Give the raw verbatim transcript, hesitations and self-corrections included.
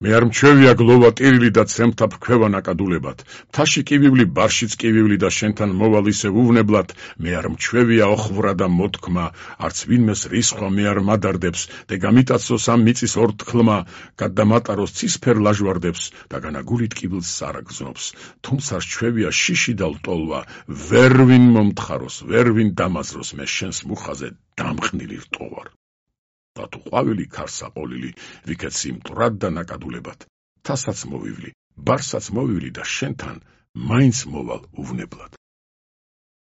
მე არ მჩვევია გლოვა ტირილი და ცემთა ფქვევა ნაკადულებად. მთაში კივივლი, ბარშიც კივივლი და შენთან მოვალ ისევ უვნებლად. მე არ მჩვევია ოხვვრა და მოთქმა, არც ვინმეს რისხვა მე არ მადარდებს. და გამიტაცოს ამ მიწის ორთქლმა, გადამატაროს ცისფერ ლაჟვარდებს და განაგულით კიბილს სარაგზნობს. თუმცა რჩვევია შიში და ლტოლვა, ვერ ვინ მომთხაროს, ვერ ვინ დამაზროს მე შენს მუხაზე დამხნილი რტოვარ. და თუ ყვავილი ქარსაყოლილი, ვიქეცი მტრად და ნაკადულებად. თასაც მოვივლი, ბარსაც მოვივლი და შენთან მაინც მოვალ უვნებლად.